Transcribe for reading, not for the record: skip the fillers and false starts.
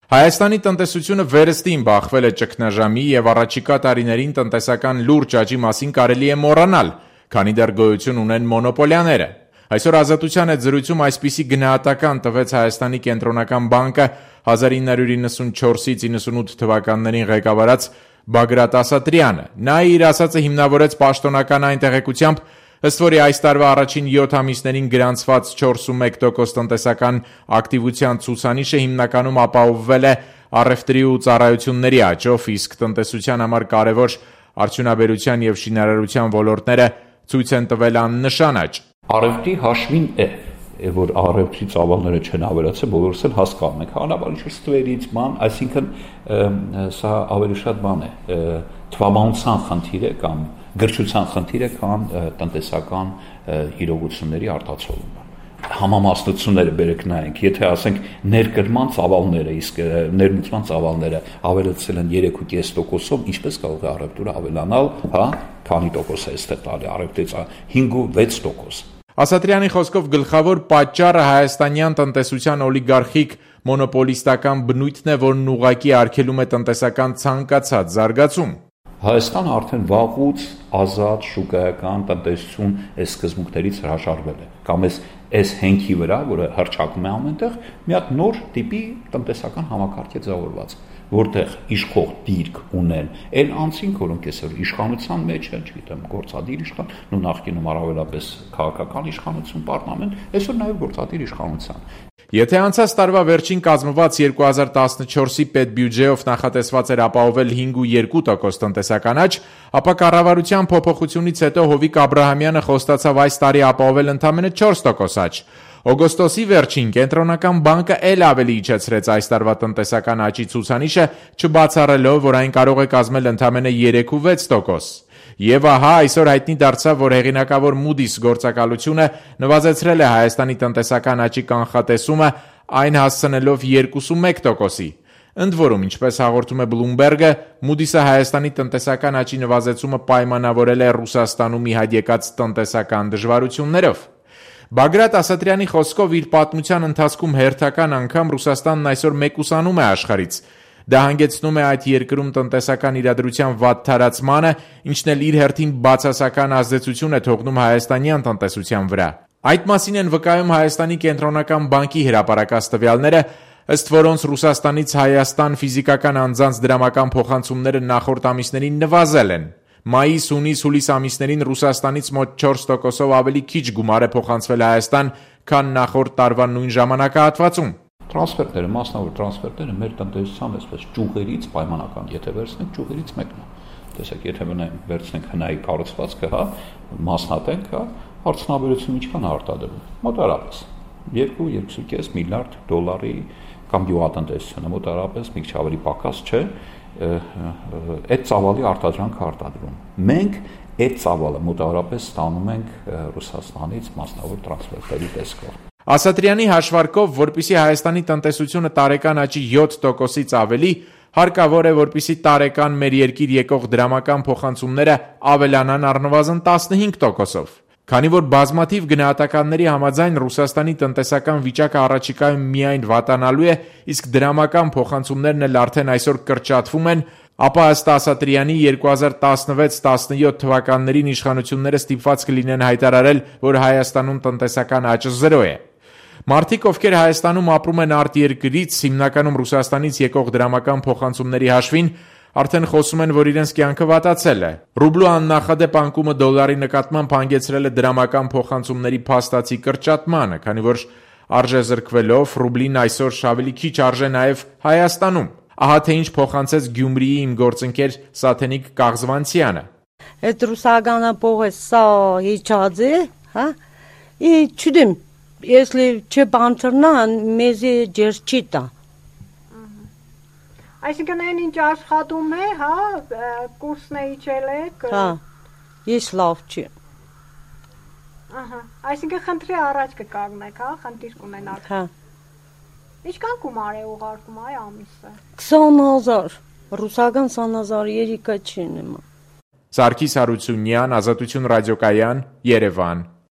Հայաստանի տնտեսությունը վերստին բախվել է ճգնաժամի եւ առաջիկա տարիներին տնտեսական լուրջ աճի մասին կարելի է մոռանալ, քանի դեռ գոյություն ունեն մոնոպոլիաները։ Այսօր Ազատության հետ զրույցում այսպիսի գնահատական տվեց Հայաստանի կենտրոնական բանկը 1994-98 թվականներին ղեկավարած Բագրատ Ասատրյանը։ Նա իր ասածը հիմնավորեց պաշտոնական այն տեղեկությամբ, ըստ որի այս տարվա առաջին 7 ամիսներին գրանցված 4.1% տնտեսական ակտիվության ցուցանիշը հիմնականում ապահովվել է առևտրի ու ծառայությունների աճով, իսկ տնտեսության համար կարևոր արդյունաբերության եւ շինարարության ոլորտները ցույց են տվել աննշան աճ։ Առևտրի հաշվին որ առևտրի ծավալները չեն ավելացել, բոլորս էլ հասկանում ենք, հանրապետության ստվերից բան, այսինքն սա ավելի շատ բան է, թվաբանության խնդիր է կամ գրչության խնդիր է, կամ տնտեսական իրողությունների արտացոլումը։ Համամասնությունները բերեք նայենք, եթե ասենք ներկրման ծավալները, իսկ ներմուծման ծավալները ավելացել են 3.5%-ով, ինչպես կարող է առևտուրը ավելանալ, քանի տոկոս է այստեղ տալի առևտրից 5-6%։ Ասատրյանի խոսքով գլխավոր պատճառը հայաստանյան տնտեսության օլիգարխիկ մոնոպոլիստական բնույթն է, որն ուղղակի արգելում է տնտեսական ցանկացած զարգացում։ Հայաստանը արդեն վաղուց ազատ շուկայական տնտեսություն այս սկզբունքներից հրաժարվել է, կամ այս հենքի վրա, որը հռչակում է ամենտեղ, մի հատ նոր տիպի տնտեսական համակարգ է ձևավորված, որտեղ իշխող դիրք ունեն այն անձինք, որոնք այսօր իշխանության մեջ են, չգիտեմ, գործադիր իշխան, ու նախկինում առավելապես քաղաքական իշխանություն պարզնament, այսօր նաև գործադիր իշխանության։ Եթե անցած տարվա վերջին կազմված 2014-ի պետբյուջեով նախատեսված էր ապահովել 5.2% տնտեսական աճ, ապա կառավարության փոփոխությունից հետո Հովիկ Աբրահամյանը խոստացավ այս տարի ապահովել ընդամենը 4% աճ։ Օգոստոսի վերջին կենտրոնական բանկը էլ ավելի իջեցրեց այս տարվա տնտեսական աճի ցուցանիշը, չբացառելով, որ այն կարող է կազմել ընդամենը 3.6%։ Եվ ահա այսօր հայտնի դարձավ, որ հեղինակավոր Moody's գործակալությունը նվազեցրել է Հայաստանի տնտեսական աճի կանխատեսումը, այն հասցնելով 2.1%-ի։ Ընդ որում, ինչպես հաղորդում է Bloomberg-ը, Moody's-ը Հայաստանի տնտեսական աճի նվազեցումը պայմանավորել է Ռուսաստանում ի հայտ եկած տնտեսական դժվարություններով։ Բագրատ Ասատրյանի խոսքով իր պատմության ընթացքում հերթական անգամ Ռուսաստանն այսօր մեկուսանում է աշխարհից։ Դա հանգեցնում է այդ երկրում տնտեսական իրադրության վատ թարացմանը, ինչն էլ իր հերթին բացասական ազդեցություն է թողնում հայաստանյան տնտեսության վրա։ Այդ մասին են վկայում Հայաստանի կենտրոնական բանկի հրապարակած տվյալները, ըստ որոնց Ռուսաստանից Հայաստան ֆիզիկական անձանց դրամական փոխանցումները նախորդ ամիսներին նվազել են։ Մայիս, հունիս, հուլիս ամիսներին Ռուսաստանից մոտ 4%-ով ավելի քիչ գումար է փոխանցվել Հայաստան, քան նախորդ տարվա նույն ժամանակահատվածում։ Տրանսֆերտները, մասնավոր տրանսֆերտները մեր տնտեսության այսպես ճյուղերից պայմանական, եթե վերցնենք ճյուղերից մեկն է։ Տեսեք, եթե վերցնենք հնայի կառուցվածքը, մասնատենք, արդյունաբերությունը ինչքան է արտադրում։ Մոտարապես 2-2.5 միլիարդ դոլարի կամ գյուղատնտեսությունը մոտարապես մի քիչ ավելի պակաս չէ, այդ ծավալի արտադրանքը արտադրում։ Մենք այդ ծավալը մոտավորապես ստանում ենք Ռուսաստանից մասնավոր տրանսֆերտերի տեսքով։ Ասատրյանի հաշվարկով, որպիսի Հայաստանի տնտեսությունը տարեկան աճի 7%-ից ավելի, հարկավոր է, որպիսի տարեկան մեր երկիր եկող դրամական փոխանցումները ավելանան առնվազն 15%-ով։ Քանի որ բազմաթիվ գնահատականների համաձայն Ռուսաստանի տնտեսական վիճակը առաջիկայում միայն վատանալու է, իսկ դրամական փոխանցումներն էլ արդեն այսօր կրճատվում են, ապա ըստ Ասատրյանի 2016-17 թվականներին իշխանությունները ստիպված կլինեն հայտարարել, որ Հայաստանում տնտեսական աճը 0 է։ Մարդիկ, ովքեր Հայաստանում ապրում են արտերկրից, հիմնականում Ռուսաստանից եկող դրամական փոխանցումների հաշվին, արդեն խոսում են, որ իրենց կյանքը վատացել է։ Ռուբլու աննախադեպ անկումը դոլարի նկատմամբ հանգեցրել է դրամական փոխանցումների փաստացի կրճատմանը, քանի որ արժեզրկվելով ռուբլին այսօր ավելի քիչ արժե նաև Հայաստանում։ Ահա թե ինչ փոխանցեց Գյումրիի իմ գործընկեր Սաթենիկ Կաղզվանցյանը։ Այդ ռուսականը փողը սա իջած է, հա։ Չդեմ, если չբանցրնա, մեզի ջերչի տա։ Այսինքն այն ինչ աշխատում է, հա, կուրսն է իջել եք։ Հա, ես լավ չի։ Ահա, այսինքն խնդրի առաջ կկանգնեք, հա, խնդիր կունենաք։ Հա։ Ինչքան գումար է ուղարկում այ ամիսը։ 20,000, ռուսական 20,000 երիկա չի նման։ Սարգիս Հարությունյան, Ազատություն ռադիոկայան, Երևան։